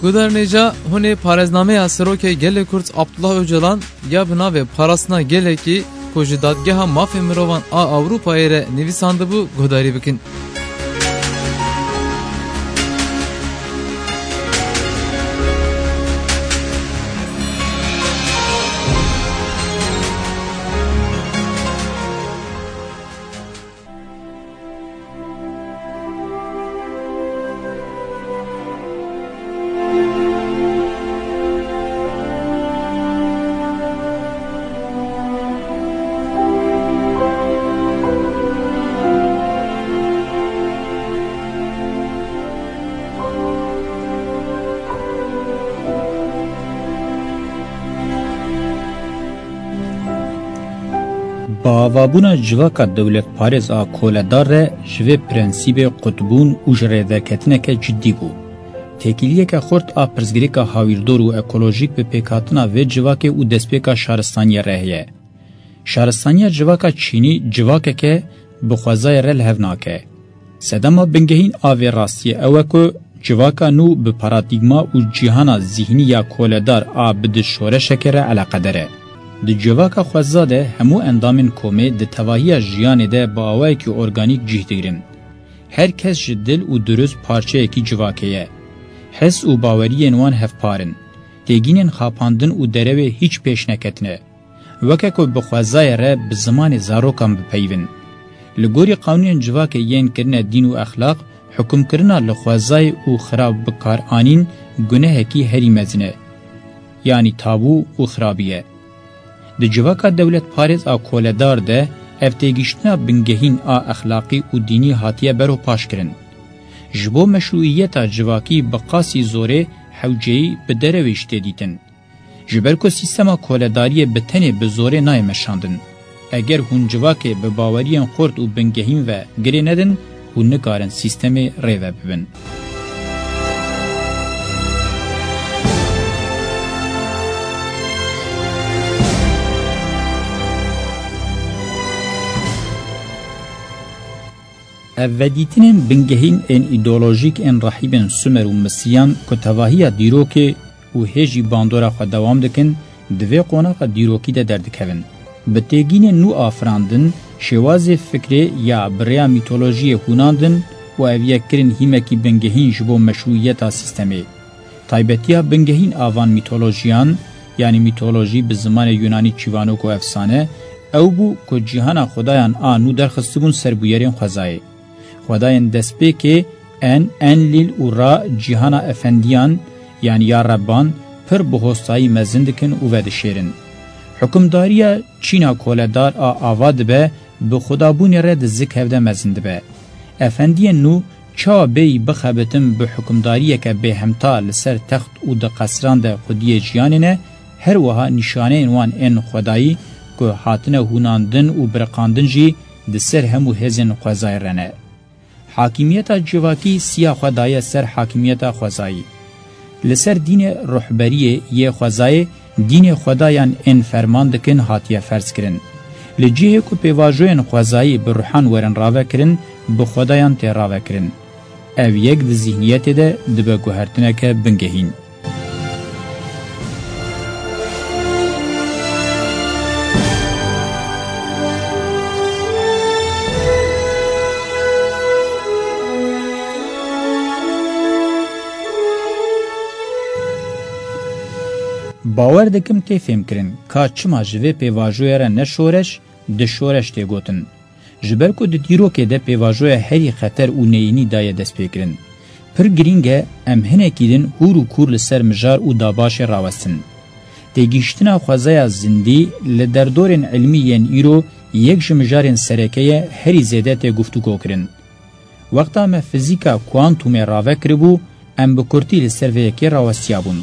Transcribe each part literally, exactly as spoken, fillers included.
Guhdarên hêja, hûn ê parêznameya Serokê Gelê Kurd Abdullah Ocalan ya bi navê Parastina Gelekî ku ji Dadgeha Mafê Mirovan a Ewropayê re nivîsandibû guhdarî bikin. Bi avabûna civaka dewletparêz a koledar re ji vê prensîbê qutbûn û ji rêderketineke cidî bû. Têkiliyeke xurt a pirsgirêka hawîrdor û ekolojîk bi pêkhatina vê civakê û destpêka şaristaniya re heye. Şaristaniya civaka çînî civakeke bi xwezayê re li hev nake. Sedema bingehîn a vê rastiyê ew e ku civaka nû bi paradîgma û cîhana zîhnî ya koledar a bi di şoreşeke re eleqedar e. Di civaka xweza de hemû endamên komê di tevahiya jiyanê de bi awayekî organîk cih digirin. Her kes ji dil û dirust parçeyekî civakê ye. His û baweriyên wan hevpar in. Têgînên xapandin û derewê hîç pêş neketine. Weke ku bi xwezayê re bi zimanê zarokan bipeyivin. Li gorî qanûnên civakê yên kirine dîn û exlaq, hukimkirina li xwezayê û xirab bikaranîn gunehekî herî mezin e, yanî tabû û xirabî ye. Di civaka dewletparêz a koledar de ev têgihiştina bingehîn a exlaqî û dînî hatiye beropaşkirin. Ji bo meşrûîyeta civakî bi qasî zorê hewceyî bi derewê jî tê dîtin. Ji ber ku sîstema koledariyê bi tenê bi zorê nayê meşandin. Eger hûn civakê bi baweriyên xurt û bingehîn ve girê nedin, hûn nikarin sîstemê rêve bibin. Ev vedîtinên bingehîn ên îdeolojîk ên rehîbên Sumer û Misriyan ku tevahiya dîrokê û hê jî bandora xwe dewam dikin, di vê qonaxa dîrokî de derdikevin. Bi têgînên nû afirandin, şêwazê fikrê ya bi rêya mîtolojiyê hûnandin û ev yek kirin hîmekî bingehîn ji bo meşrûiyeta sîstemê. Taybetiya bingehîn a van mîtolojiyan, yanî mîtolojî bi zimanê yunanî çîvanok û efsane, ew bû ku cîhana xwedayan a nû derxistibûn ser bûyerên xwezayê. Xwedayên destpêkê En, Enlîl û Ra cîhana efendiyan, yanî ya Rebban, pir bi hostayî mezin dikin û vedişêrin. Hukimdariya çîna koledar a ava dibe, bi xwedabûnê re di zik hevde mezin dibe. Efendiyên nû çawa bêyî bixebitin bi hukimdariyeke bêhemta li ser text û di qesran de xwediyê jiyanê ne, her wiha nîşaneyên wan ên xwedayî ku hatine hûnandin û biriqandin jî di ser hemû hêzên xwezayê re ne. Hakimiyeta civakî siya xwe daye ser hakimiyeta xwezayî. Li ser dînê ruhberiyê yê xwezayê dînê xwedayan ên ferman dikin hatiye ferz kirin. Li cihê ku pêvajoyên xwezayî bi ruhan werin ravekirin, bi xwedayan tê ravekirin. Ev yek di zîhniyetê de dibe guhertineke bingehîn. Bawer dikim tê fêmkirin ka çima ji vê pêvajoyê re ne şoreş, di şoreş tê gotin. Ji ber ku di dîrokê de pêvajoya herî xeter û neyînî daye destpêkirin. Pir girîng e em hinekî din hûr û kûr li ser mijar û dabaşê rawestin. Têgihiştina xwezaya zindî li derdorên ilmî yên îro yek ji mijarên sereke ye herî zêde tê guftûgokirin. Wexta me fizîka kuantumê rave kiribû, em bi kurtî li ser vê yekê rawestiyabûn.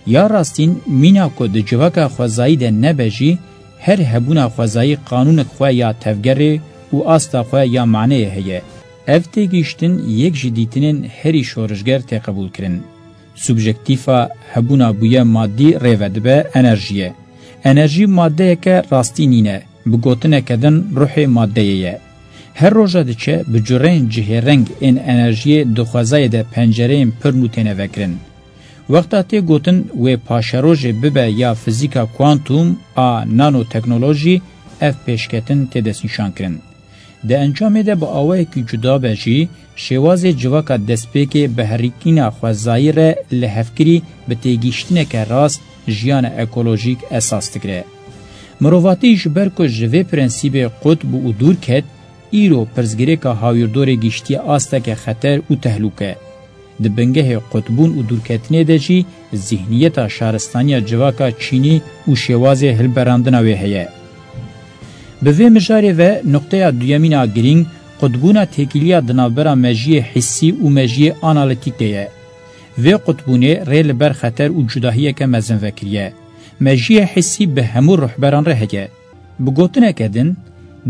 Ya rastîn, mîna ku di civaka xwezayî de nebe jî, her hebûna xwezayî qanûnek xwe ya tevgerê û asta xwe ya maneyê heye. Ev têgihiştin yek ji dîtinên herî şorişger tê qebûlkirin. Subjektîfa hebûna bûye madî rêve dibe enerjiyê. Enerjî madeyeke rastî nîne, bi gotineke din ruhê madeyê ye. Her roja diçe bi cureyên cihêreng ên enerjiyê di xwezayê de pencereyên pir nû têne vekirin. Wexta tê gotin wê paşerojê bibe ya fizîka kuantum a nanoteknolojî, ev pêşketin tê destnîşankirin. Di encamê de bi awayekî cuda be jî, şêwazê civaka destpêkê bi herikîna xwezayî re lihevkirî bi têgihiştineke rast jiyana ekolojîk esas digire. Mirovatî ji ber ku ji vê prensîbê qut bû û dûr ket, îro pirsgirêka hawîrdorê gihiştiye asteke xeter û tehlûke. Di bingehê qutbûn û dûrketinê de jî zîhniyeta şaristaniya civaka Çînî û şêwazê hilberandina wê heye. Bi vê mijarê ve nuqteya duyemîn a girîng, qutbûna têkiliya di navbera mejiyê hissî û mejiyê analîtîk de ye. Vê qutbûnê rê li ber xeter û cudahiyeke mezin vekiriye. Mejiyê hissî bi hemû ruhberan re heye. Bi gotineke din,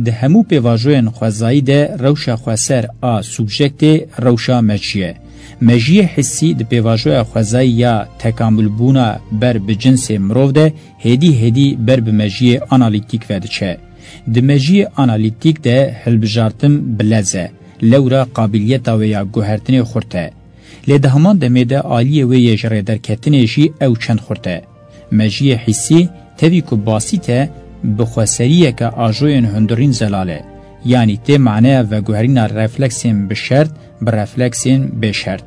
di hemû pêvajoyên xwezayî de rewşa xweser a subjektê rewşa mejî ye. Mejiyê hissî di pêvajoya xwezayî ya tekamulbûna ber bi cinsê mirov de hêdî hêdî ber bi mejiyê analîtîk ve diçe. Di mejiyê analîtîk de hilbijartin bi lez e, lewra qabiliyeta wê ya guhertinê xurt e. Lê di heman demê de aliyê wê yê ji rêderketinê jî ew çend xurt e. Mejiyê hîsî tevî ku basît e, bi xweseriyeke ajoyên hundirîn zelal e. Yanî tê maneya veguherîna refleksên bi şert bi refleksên bêşert.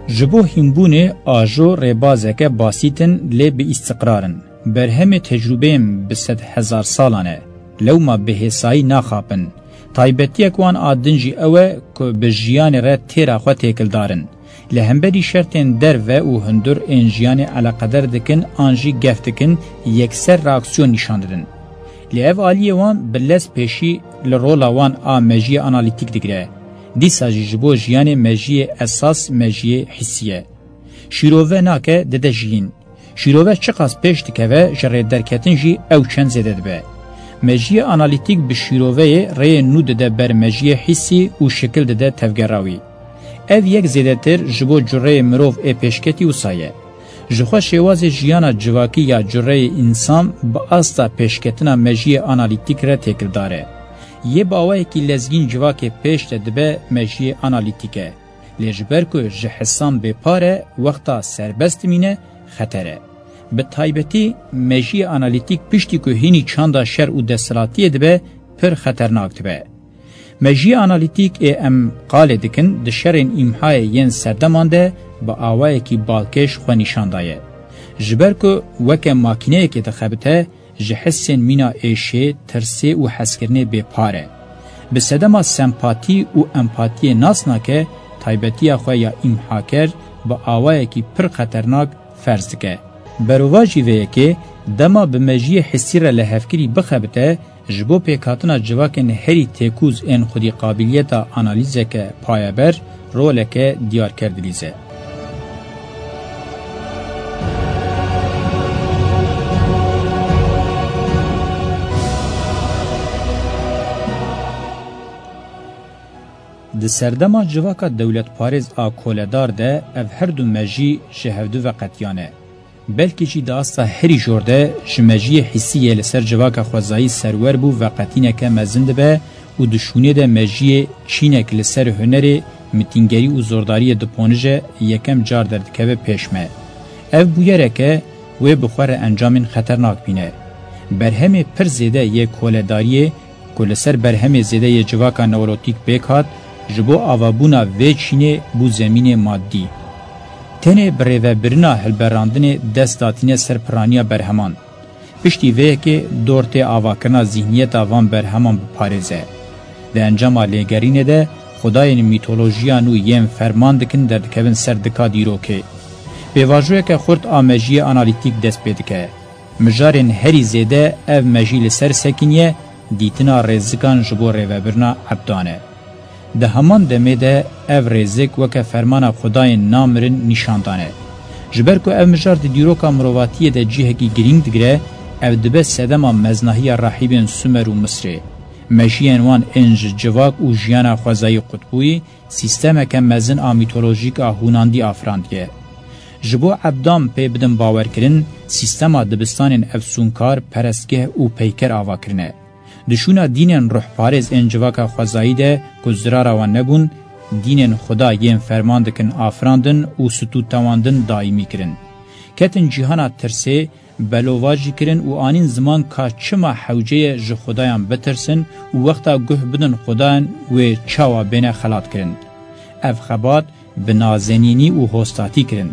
Ji bo hînbûnê ajo rêbazeke basît in lê bi îstiqrar in. Berhemê tecrûbeyên bi sedhezar salan e. Lewma bi hêsayî naxapin. Taybetiyek wan a din jî ew e ku bi jiyanê re têra xwe têkildar in. Li hemberî şertên derve û hundir ên jiyanê eleqeder dikin an jî gef dikin, yekser reaksiyon nîşan didin. Lê ev aliyê wan bi lez pêşî li rola wan a mejiyê analîtîk digire. Dîsa jî ji bo jiyanê mejiyê esas mejiyê hîsî ye. Şîrove nake, dide jiyîn. Şîrove çiqas pêş dikeve, ji rêderketin jî ew çend zêde dibe. Mejiyê analîtîk bi şîroveyê rêyê nû dide ber mejiyê hîsî û şikil dide tevgera wî. Ev yek zêdetir ji bo cureyê mirov ê pêşketî wisa ye. Ji xwe şêwazê jiyana civakî ya cureyê însan bi asta pêşketina mejiyê analîtîk re têkildar e. Yê bi awayekî lezgîn civakê pêş de dibe mejiyê analîtîk e. Lê ji ber ku ji hisan bêpar e, wexta serbest dimîne, xeter e. Bi taybetî mejiyê analîtîk piştî ku hînî çanda şer û desthilatiyê dibe, pir xeternak dibe. Mejiyê analîtîk ê em qalê dikin, di şerên îmhayê yên serdeman de bi awayekî balkêş xwe nîşan daye. Ji ber ku weke makîneyekê dixebite, ji hissên mîna êşê, tirsê û hezkirinê bêpar e. Bi sedema sempatî û empatiyê nas nake, taybetiya xwe ya îmhaker bi awayekî pir xeternak ferz dike. Berovajî vê yekê, dema bi mejiyê hissî re lihevkirî bixebite, ji bo pêkhatina civakên herî têkûz ên xwedî qabiliyeta analîzeke payeber, roleke diyarker dilîze. Di serdema civaka dewletparêz a koledar de ev her du mejî ji hevdu veqetiyane. Belkî jî di asta herî jor de ji mejiyê hîsî yê li ser civaka xwezayî serwer bû veqetîneke mezin dibe û di şûnê de mejiyê çînek li ser hunerê, mitîngerî û zordariyê diponije yekem car derdikeve pêş me. Ev bûyerek e, wê bi xwe re encamên xeternak bîne. Berhemê pir zêde yê koledariyê ku li ser berhemê zêde yê civaka neolotîk pêk hat, ji bo avabûna vê çînê bû zemînê madî. Tenê bi rêvebirina hilberandinê dest datîne ser piraniya berheman. Piştî vê yekê dor tê avakirina zîhniyeta van berheman biparêze. Di encama lêgerînê de xwedayên mîtolojiya nû yên ferman dikin derdikevin ser dika dîrokê. Pêvajoyeke xurt a mejiyê analîtîk dest pê dike. Mijarên herî zêde ev mejî li ser sekiniye, dîtina rêzikan ji bo rêvebirina ebdan e. Di heman demê de ev rêzik weke fermana xwedayên namirin nîşan dane. Ji ber ku ev mijar di dîroka mirovatiyê de cihekî girîng digire, ev dibe sedema meznahiya rahîbên Sumer û Misrê. Mejiyên wan ên ji civak û jiyana xwezayî qutbûyî, sîstemeke mezin a mîtolojîk a hûnandî afirandiye. Ji bo ebdan pê bidin bawerkirin, sîstema dibistanên efsûnkar, perestgeh û peyker ava kirine. Di şûna dînên ruhparêz ên civaka xwezayî de ku zirara wan nebûn, dînên Xuda yên ferman dikin afirandin û stûtewandin daîmî kirin. Ketin cîhana tirsê, belovajî kirin û anîn ziman ka çima hewce ye ji Xudayan bitirsin û wexta guh bidin Xudayan wê çawa bêne xelatkirin. Ev xebat bi nazenînî û hostatî kirin.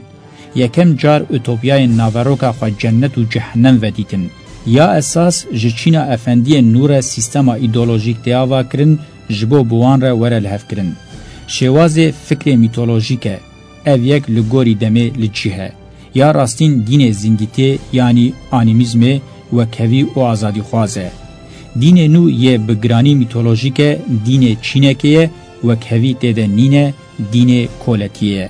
Yekem car utopyayên naveroka xwe cennet û cehennem vedîtin. Ya esas ji çîna efendiyên nû re sîstema îdeolojîk tê ava kirin, ji bo bi wan re were lihevkirin. Şêwazê fikrê mîtolojîk e. Ev yek li gorî demê li cih e. Ya rastîn dînê zindîtê, yanî anîmîzmê, wekhevî û azadîxwaz e. Dînê nû yê bi giranî mîtolojîk e, dînê çînekê ye, wekhevî tê de nîne, dînê koletiyê ye.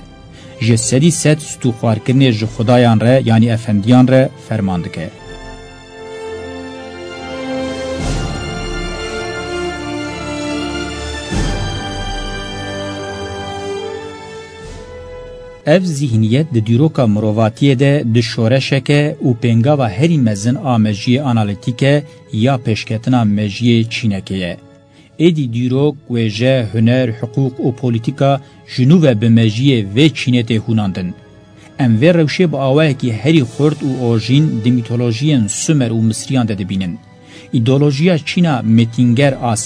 Ji sedî sed stûxwarkirinê ji xudayan re, yanî efendiyan re ferman dike. Ev zîhniyet di dîroka mirovatiyê de di şoreşeke û pêngava herî mezin a mejiyê analîtîk e ya pêşketina mejiyê çînekê ye. Êdî dîrok, wêje, huner, hiqûq û polîtîka ji nû ve bi mejiyê vê çînê tê hûnandin. Em vê rewşê bi awayekî herî xurt û orjîn di mîtolojiyên Sumer û Misriyan de dibînin. Îdeolojiya çîna mêtînger a